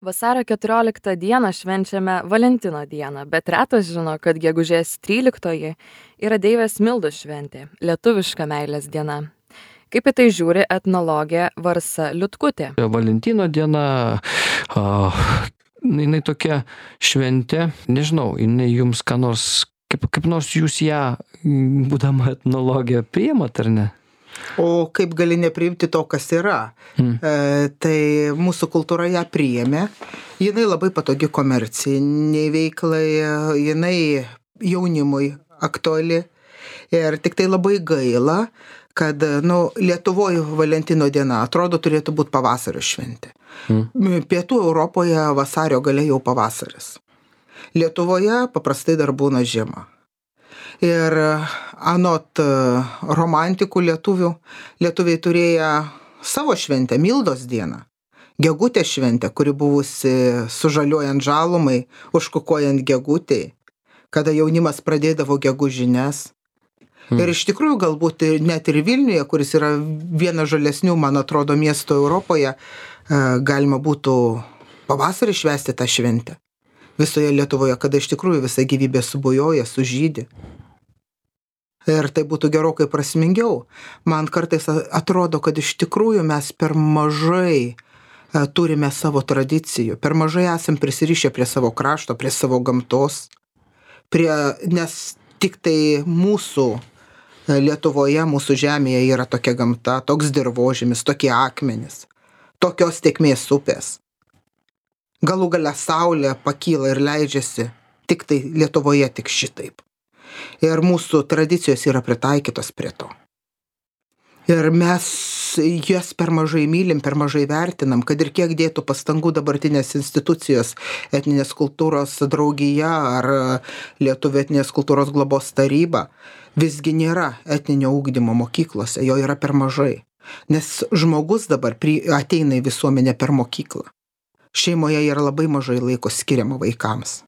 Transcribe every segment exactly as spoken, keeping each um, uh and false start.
Vasario keturioliktą dieną švenčiame Valentino dieną, bet retas žino, kad gegužės tryliktoji yra Deivės Mildos šventė, lietuviška meilės diena. Kaip į tai žiūri etnologė Varsa Liutkutė? Valentino diena, a, jinai tokia šventė, nežinau, jinai jums ką nors, kaip, kaip nors jūs ją, būdama etnologė, priimat ar ne? O kaip gali nepriimti to, kas yra? Hmm. E, tai mūsų kultūra ją priėmė. Jinai labai patogi komerciniai veiklai, jinai jaunimui aktuali. Ir tik tai labai gaila, kad nu, Lietuvoje Valentino diena atrodo turėtų būti pavasario šventė. Hmm. Pietų Europoje vasario gale jau pavasaris. Lietuvoje paprastai dar būna žiema. Ir anot romantikų lietuvių, lietuviai turėjo savo šventę, Mildos dieną, gegutės šventę, kuri buvusi sužaliuojant žalumai, užkukuojant gegutei, kada jaunimas pradėdavo gegužines. Hmm. Ir iš tikrųjų galbūt net ir Vilniuje, kuris yra vienas žalesnių, man atrodo, miesto Europoje, galima būtų pavasarį švęsti tą šventę. Visoje Lietuvoje, kada iš tikrųjų visa gyvybė subujoja, sužydi. Ir tai būtų gerokai prasmingiau. Man kartais atrodo, kad iš tikrųjų mes per mažai turime savo tradicijų, per mažai esam prisirišę prie savo krašto, prie savo gamtos, prie, nes tik tai mūsų Lietuvoje, mūsų žemėje yra tokia gamta, toks dirvožemis, tokie akmenys, tokios tėkmės upės. Galų gale saulė pakyla ir leidžiasi tik tai Lietuvoje tik šitaip. Ir mūsų tradicijos yra pritaikytos prie to. Ir mes jas per mažai mylim, per mažai vertinam, kad ir kiek dėtų pastangų dabartinės institucijos, etninės kultūros draugija ar Lietuvių etninės kultūros globos taryba, visgi nėra etninio ugdymo mokyklose, jo yra per mažai. Nes žmogus dabar ateina į visuomenę per mokyklą. Šeimoje yra labai mažai laiko skiriama vaikams.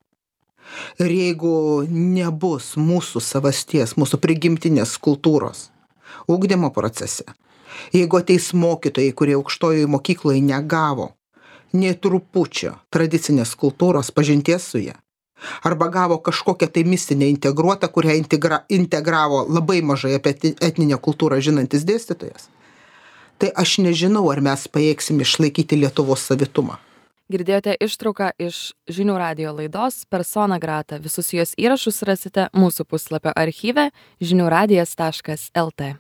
Ir jeigu nebus mūsų savasties, mūsų prigimtinės kultūros ugdymo procese, jeigu ateis mokytojai, kurie aukštojoje mokykloje negavo nei trupučio tradicinės kultūros pažinties su ja, arba gavo kažkokią tai mistinę integruotą, kurią integra, integravo labai mažai apie etninę kultūrą žinantis dėstytojas, tai aš nežinau, ar mes pajėgsim išlaikyti Lietuvos savitumą. Girdėjote ištrauką iš žinių radijo laidos Persona grata. Visus jos įrašus rasite mūsų puslapio archyve žinių radijas taškas lt.